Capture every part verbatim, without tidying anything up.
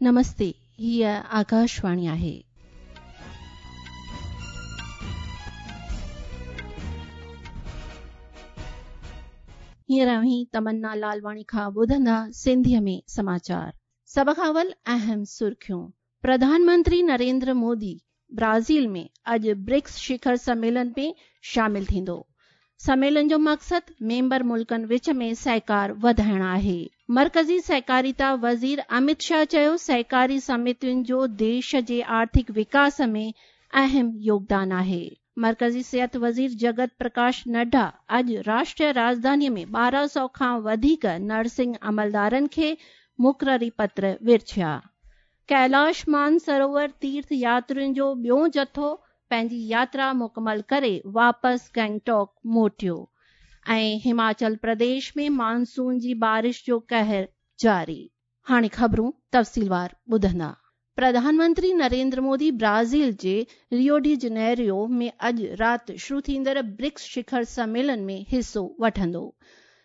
नमस्ते, हीअ आकाशवाणी आहे। हींअर अव्हीं तमन्ना लालवाणी खां ॿुधंदा सिंधीअ में समाचार। सभ खां अवल अहम सुर्खियूं। प्रधानमंत्री नरेंद्र मोदी ब्राज़ील में अॼु ब्रिक्स शिखर सम्मेलन में शामिल थींदो। सम्मेलन जो मक़सदु मेंबर मुल्कनि विच में सहकार वधाइण आहे। मर्कज़ी सहकारिता वज़ीर अमित शाह चयो सहकारी समितियुनि जो देश जे आर्थिक विकास में अहम योगदान आहे। मर्कज़ी सिहत वज़ीर जगत प्रकाश नड्डा अॼु राष्ट्रीय राजधानीअ में ॿारहं सौ खां वधीक नर्सिंग अमलदारनि खे मुक़ररी पत्र विरछिया। कैलाश मानसरोवर तीर्थ यात्रियुनि जो ॿियो जथो पंहिंजी यात्रा मुकमल करे वापसि गैंगटॉक मोटियो। ऐं हिमाचल प्रदेश में मानसून जी बारिश जो कहर जारी। हाणे ख़बरूं तफ़सीलवार ॿुधंदा। प्रधानमंत्री नरेंद्र मोदी ब्राज़ील जे रियो डी जनेरियो में अॼु राति शुरू थींदड़ ब्रिक्स शिखर सम्मेलन में हिसो वठंदो।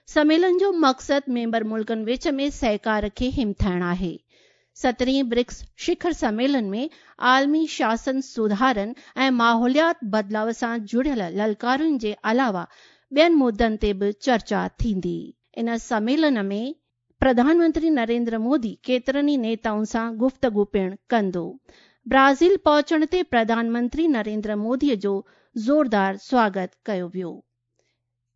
सम्मेलन जो मक़सदु मेंबर मुल्कनि विच में सहकार खे हिमथाइण आहे। सतरहीं ब्रिक्स शिखर सम्मेलन में आलमी शासन सुधारनि ऐं माहौलियात बदिलाव सां जुड़ियल ललकारुनि जे अलावा ॿियनि मुद्दनि ते बि चर्चा थींदी। इन सम्मेलन में प्रधानमंत्री नरेंद्र मोदी केतिरनि ई नेताउनि सां गुफ़्तगू पिणु कंदो। ब्राज़ील पहुचण ते प्रधानमंत्री नरेंद्र मोदीअ जो ज़ोरदार स्वागत कयो वियो।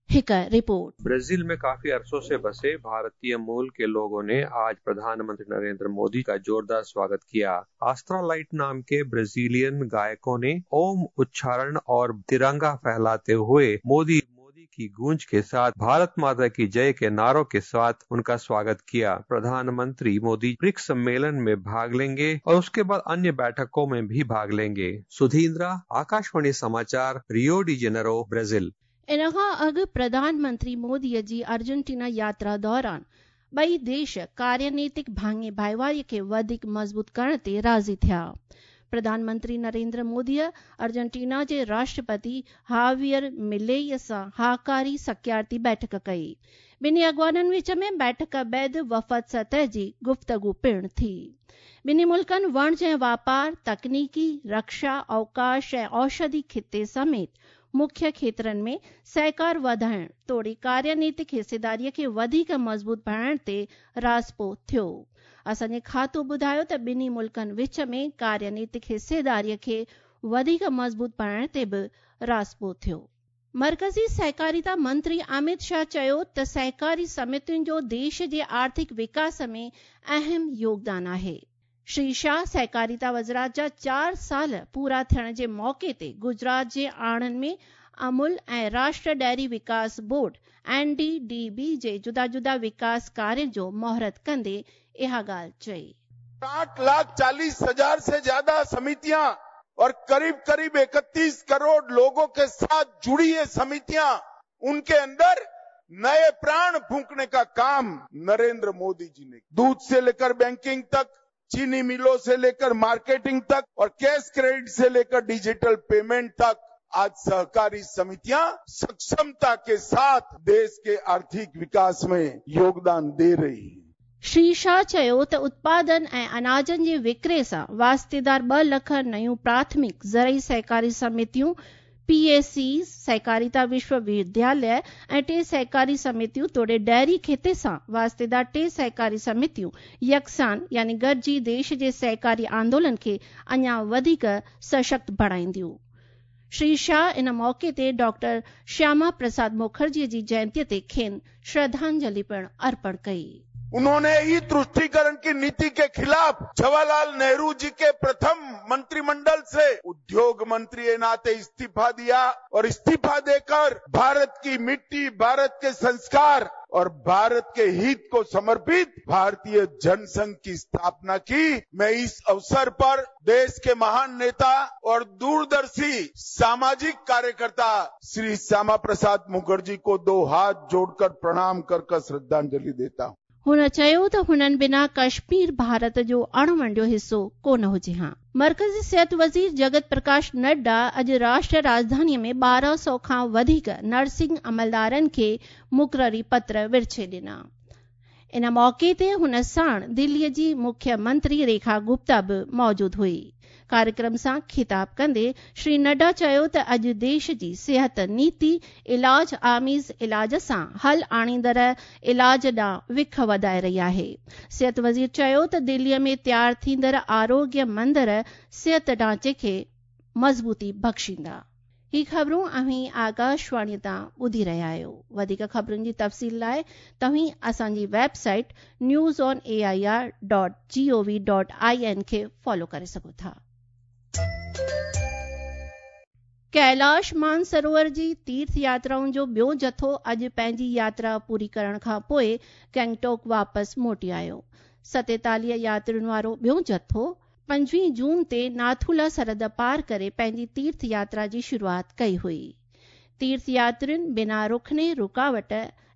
एक रिपोर्ट। ब्राजील में काफी अरसों से बसे भारतीय मूल के लोगों ने आज प्रधानमंत्री नरेंद्र मोदी का जोरदार स्वागत किया। आस्ट्रालाइट नाम के ब्राजीलियन गायकों ने ओम उच्चारण और तिरंगा फहलाते हुए मोदी मोदी की गूंज के साथ भारत माता की जय के नारों के साथ उनका स्वागत किया। प्रधानमंत्री मोदी ब्रिक्स सम्मेलन में भाग लेंगे और उसके बाद अन्य बैठकों में भी भाग लेंगे। सुधीन्द्रा, आकाशवाणी समाचार, रियो डी जेनेरो, ब्राजील। इन खां अॻु प्रधानमंत्री मोदीअ जी अर्जेंटीना यात्रा दौरान ॿई देश कार्यनीतिक भाङे भाईवारीअ खे वधीक मज़बूत करण ते राज़ी थिया। प्रधानमंत्री नरेंद्र मोदीअ अर्जेंटीना जे राष्ट्रपति हावियर मिलेई सां हाकारी सकियारती बैठक कई। ॿिन्ही अॻवाननि विच में बैठक बाद वफ़द सतह जी गुफ़्तगू पिणु थी। ॿिन्ही मुल्कनि वणज ऐं वापार, तकनीकी, रक्षा, अवकाश ऐं औषधि खिते समेत मुख्य क्षेत्रनि में सहकार वधाइण तोड़े कार्यनीतिक हिस्सेदारीअ खे वधीक मज़बूत बणाइण ते राज़पो थियो। असांजे खातो ॿुधायो त ॿिन्ही मुल्कनि विच में कार्यनीतिक हिस्सेदारीअ खे वधीक मज़बूत बणाइण ते बि राज़पो थियो। मर्कज़ी सहकारिता मंत्री अमित शाह चयो त सहकारी समितियुनि जो देश जे आर्थिक विकास में अहम योगदान आहे। श्री शाह सहकारिता वज़ारत जा चार साल पूरा थियण जे मौक़े ते गुजरात जे आणंद में अमूल ऐं राष्ट्रीय डेयरी विकास board N D D B जे जुदा जुदा विकास कार्य जो मुहूर्त कंदे इहा ॻाल्हि चई। आठ लाख चालीस हजार से ज्यादा समितियां और करीब करीब इकतीस करोड़ लोगों के साथ जुड़ी ये समितियां, उनके अंदर नए प्राण फूंकने का काम नरेंद्र मोदी जी ने दूध से लेकर बैंकिंग तक, चीनी मिलों से लेकर मार्केटिंग तक और कैश क्रेडिट से लेकर डिजिटल पेमेंट तक आज सहकारी समितियां सक्षमता के साथ देश के आर्थिक विकास में योगदान दे रही हैं। श्री शाह चयो त उत्पादन ऐं अनाजनि जे विकिरे सां वास्तेदार ॿ लख नयूं प्राथमिक ज़रई सहकारी समितियूं पी ए सी, सहकारिता विश्वविद्यालय ऐं टे सहकारी समितियूं तोड़े डेयरी खिते सां वास्तेदार टे सहकारी समितियूं यकसान यानी गॾिजी देश जे सहकारी आंदोलन खे अञा वधीक सशक्त बणाईंदियूं। श्री शाह इन मौक़े ते डॉक्टर श्यामा प्रसाद मुखर्जीअ जी जयंतीअ ते खेनि श्रद्धांजलि पिणु अर्पण कई। उन्होंने ही तुष्टीकरण की नीति के खिलाफ जवाहरलाल नेहरू जी के प्रथम मंत्रिमंडल से उद्योग मंत्री के नाते इस्तीफा दिया और इस्तीफा देकर भारत की मिट्टी, भारत के संस्कार और भारत के हित को समर्पित भारतीय जनसंघ की स्थापना की। मैं इस अवसर पर देश के महान नेता और दूरदर्शी सामाजिक कार्यकर्ता श्री श्यामा प्रसाद मुखर्जी को दो हाथ जोड़कर प्रणाम कर कर श्रद्धांजलि देता हूं। हुन चयो त हुननि बिना कश्मीर भारत जो अणवंडियो हिसो कोन हुजे हा। मर्कज़ी सिहत वज़ीर जगत प्रकाश नड्डा अॼु राष्ट्रीय राजधानीअ में ॿारहं सौ खां वधीक नर्सिंग अमलदारनि खे मुक़ररी पत्र विरछे ॾिना। इन मौक़े ते हुन साण दिल्लीअ जी मुख्य मंत्री रेखा गुप्ता बि मौजूद हुई। कार्यक्रम सां खिताब कंदे श्री नड्डा चयो त अॼु देश जी सिहत नीति इलाज आमेज़ इलाज सां हल आणींदड़ इलाज ॾांहुं विख वधाए रही आहे। सिहत वज़ीर चयो त दिल्लीअ में तयार थींदड़ आरोग्य मंदर सिहत ढांचे खे मज़बूती बख़्शींदा। ही ख़बरूं अव्हीं आकाशवाणी तां ॿुधी रहिया आहियो। वधीक ख़बरुनि जी तफ़सील लाइ तव्हीं असांजी website news on A I R dot G O V dot I N खे फॉलो करे सघो था। कैलाश मानसरोवर जी तीर्थ यात्राउनि जो ॿियो जथो अॼु पंहिंजी यात्रा पूरी करण खां पोइ गैंगटॉक वापसि मोटी आयो। सतेतालीह यात्रियुनि वारो ॿियो जथो पंजवीह जून ते नाथुला सरहद पार करे पंहिंजी तीर्थ यात्रा जी शुरूआत कई हुई। तीर्थ यात्रियुनि बिना रुखने रुकावट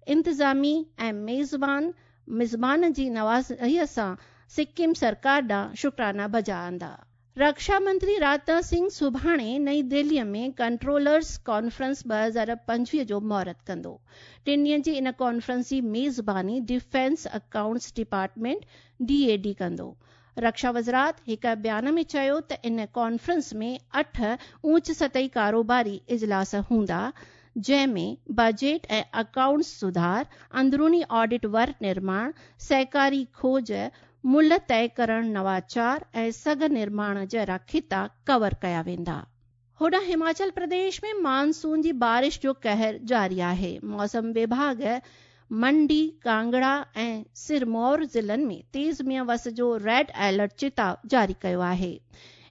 इंतिज़ामी ऐं मेज़बान मिज़बान जी नवाज़ीअ सां सिक्किम सरकार ॾांहुं शुक्राना बजा आंदा। रक्षा मंत्री राजनाथ सिंह सुभाणे नई दिल्लीअ में कंट्रोलर्स कॉन्फ्रेंस ॿ हज़ार पंजवीह जो मुहूर्त कंदो। टिनि ॾींहंनि जी इन कॉन्फ्रेंस जी मेज़बानी defence accounts department D A D कंदो। रक्षा वज़ारत हिकु बयान में चयो त इन कॉन्फ्रेंस में अठ ऊंच सतही कारोबारी इजलास हूंदा, जंहिंमें बजट ऐं अकाउंट्स सुधार, अंदरूनी ऑडिट वर निर्माण, सहकारी खोज, मुल्ह तय करण, नवाचार ऐं सघ निर्माण जहिड़ा ख़िता कवर कया वेंदा। होॾां हिमाचल प्रदेश में मानसून जी बारिश जो कहर जारी आहे। मौसम विभाग मंडी, कांगड़ा ऐं सिरमौर ज़िलनि में तेज़ मींहं वस जो रेड अलर्ट चेताव जारी कयो आहे।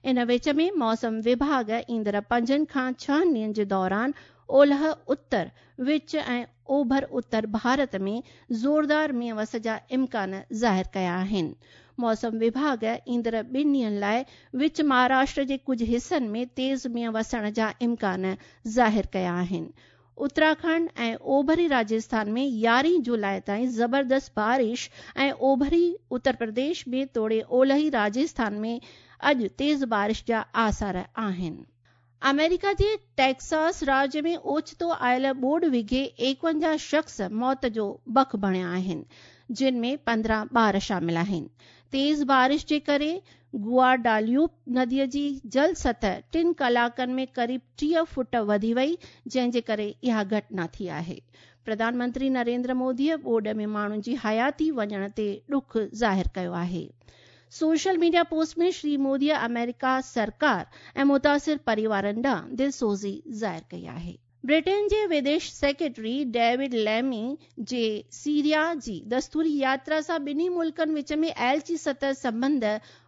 इन विच में मौसम विभाग ईंदड़ पंजनि खां छहनि ॾींहंनि जे दौरान ओलह उत्तर, विच ऐं ओभर उत्तर भारत में ज़ोरदार मींहं वस जा इम्कान ज़ाहिर कया आहिनि। मौसम विभाग ईंदड़ ॿिनि ॾींहंनि लाइ विच महाराष्ट्र जे कुझु हिसनि में तेज़ मींहं वसण जा इम्कान ज़ाहिर कया आहिनि। उत्तराखंड ऐं ओभरी राजस्थान में यारहीं जुलाई ताईं ज़बरदस्त बारिश ऐं ओभरी उत्तर प्रदेश में तोड़े ओलही राजस्थान में अॼु तेज़ बारिश जा आसार आहिनि। अमेरिका जे टेक्सास राज्य में ओचितो आयल ॿोॾ विघे एकवंजाह शख़्स मौत जो बख बणिया आहिनि, जिन में पंद्रहं ॿार शामिल आहिनि। तेज़ बारिश जे करे गुआडाल्यूप नदीअ जी जल सतह टिनि कलाकनि में क़रीब टीह फुट वधी वई, जंहिंजे करे इहा घटना थी आहे। प्रधानमंत्री नरेंद्र मोदीअ ॿोॾ में माण्हुनि जी हयाती वञण ते ॾुख ज़ाहिर कयो आहे। सोशल मीडिया पोस्ट में श्री मोदीअ अमेरिका सरकार ऐं मुतासिर परिवारनि ॾांहुं दिलसोज़ी ज़ाहिर कई आहे। ब्रिटेन जे विदेश सेक्रेटरी डेविड लैमी जे सीरिया जी दस्तूरी यात्रा सां ॿिन्ही मुल्कनि विच में एलची सतह संबंध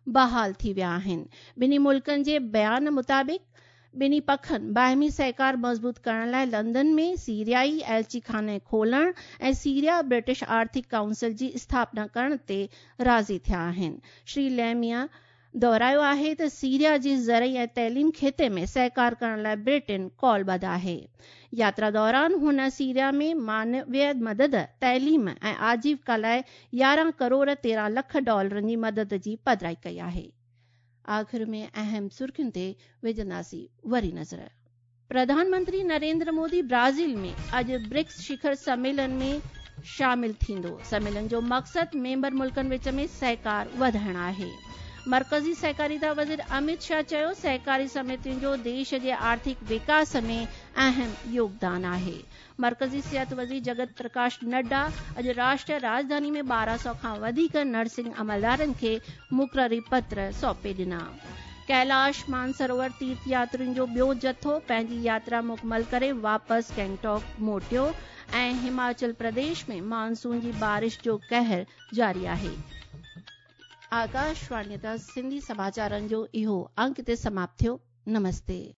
बहाल थी विया आहिनि। ॿिन्ही मुल्कनि जे बयान मुताबिक़ ॿिन्ही पखनि बाहिमी सहकार मज़बूत करण लाइ लंदन में सीरियाई एलची खाने खोलण ऐं सीरिया ब्रिटिश आर्थिक काउंसिल जी स्थापना करण ते राज़ी थिया आहिनि। श्री लैमिया दोहरायो आहे त सीरिया जी ज़रई ऐं तइलीम ख़िते में सहकार करण लाइ ब्रिटेन कॉलबद्ध आहे। यात्रा दौरान हुन सीरिया में मानवीय मदद, तइलीम ऐं आजीविका लाइ यारहं करोड़ तेरहं लख डॉलरनि जी मदद जी पधराई कई आहे। आख़िर में अहम सुर्खियुनि ते विझंदासीं वरी नज़र। प्रधानमंत्री नरेंद्र मोदी ब्राज़ील में अॼु ब्रिक्स शिखर सम्मेलन में शामिल थींदो। सम्मेलन जो मक़सदु मेंबर मुल्कनि विच में सहकार वधाइण आहे। मर्कज़ी सहकारिता वज़ीर अमित शाह चयो सहकारी समितियुनि जो देश जे आर्थिक विकास में अहम योगदान आहे। मर्कज़ी सिहत वज़ीर जगत प्रकाश नड्डा अॼु राष्ट्रीय राजधानी में ॿारहं सौ खां वधीक नर्सिंग अमलदारनि खे मुक़ररी पत्र सौंपे ॾिना। कैलाश मानसरोवर तीर्थ यात्रियुनि जो ॿियो जथो पंहिंजी यात्रा मुकमल करे वापसि गैंगटॉक मोटियो ऐं हिमाचल प्रदेश में मानसून जी बारिश जो कहर जारी आहे। आकाशवाणी तां सिंधी समाचारनि जो इहो अंक हिते समाप्त थियो। नमस्ते।